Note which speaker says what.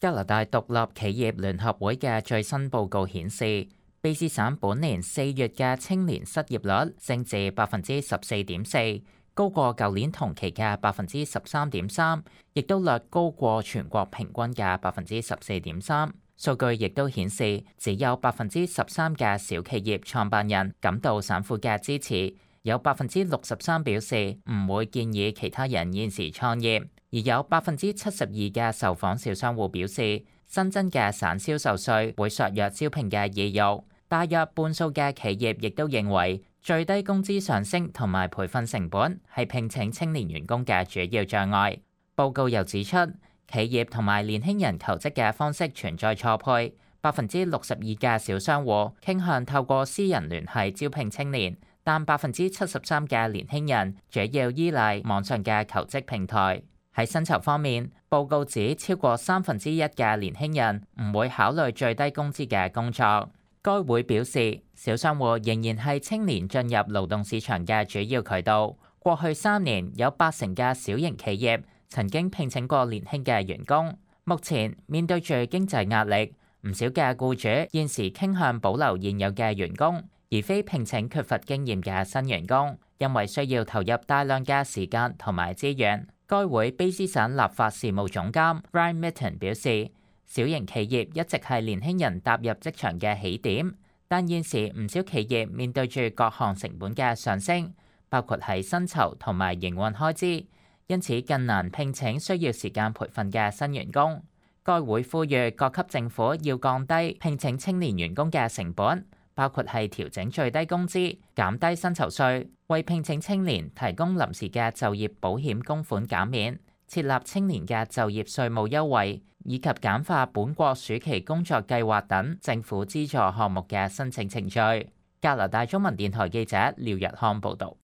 Speaker 1: 加拿大獨立企業聯合會嘅最新報告顯示，卑詩省本年4月嘅青年失業率升至14.4%，高過舊年同期嘅13.3%，亦都略高過全國平均嘅14.3%。數據亦都顯示，只有13%嘅小企業創辦人感到省府嘅支持，有63%表示唔會建議其他人現時創業。而有72%嘅受訪小商戶表示，新增嘅省銷售稅會削弱招聘嘅意欲。大約半數嘅企業亦都認為，最低工資上升同埋培訓成本係聘請青年員工嘅主要障礙。報告又指出，企業同埋年輕人求職嘅方式存在錯配。62%嘅小商戶傾向透過私人聯繫招聘青年，但73%嘅年輕人主要依賴網上嘅求職平台。喺薪酬方面，報告指超過1/3嘅年輕人唔會考慮最低工資嘅工作。該會表示，小商戶仍然係青年進入勞動市場嘅主要渠道。過去3年，有80%嘅小型企業曾經聘請過年輕嘅員工。目前面對住經濟壓力，唔少嘅僱主現時傾向保留現有嘅員工，而非聘請缺乏經驗嘅新員工，因為需要投入大量嘅時間同埋資源。該會卑詩省立法事務總監 Ryan Mitton 表示，小型企業一直係年輕人踏入職場嘅起點，但現時唔少企業面對住各項成本嘅上升，包括係薪酬同埋營運開支，因此更難聘請需要時間培訓嘅新員工。該會呼籲各級政府要降低聘請青年員工嘅成本，包括係調整最低工資、減低薪酬稅、為聘請青年提供臨時嘅就業保險供款減免、設立青年嘅就業稅務優惠，以及簡化本國暑期工作計劃等政府資助項目嘅申請程序。加拿大中文電台記者廖日康報導。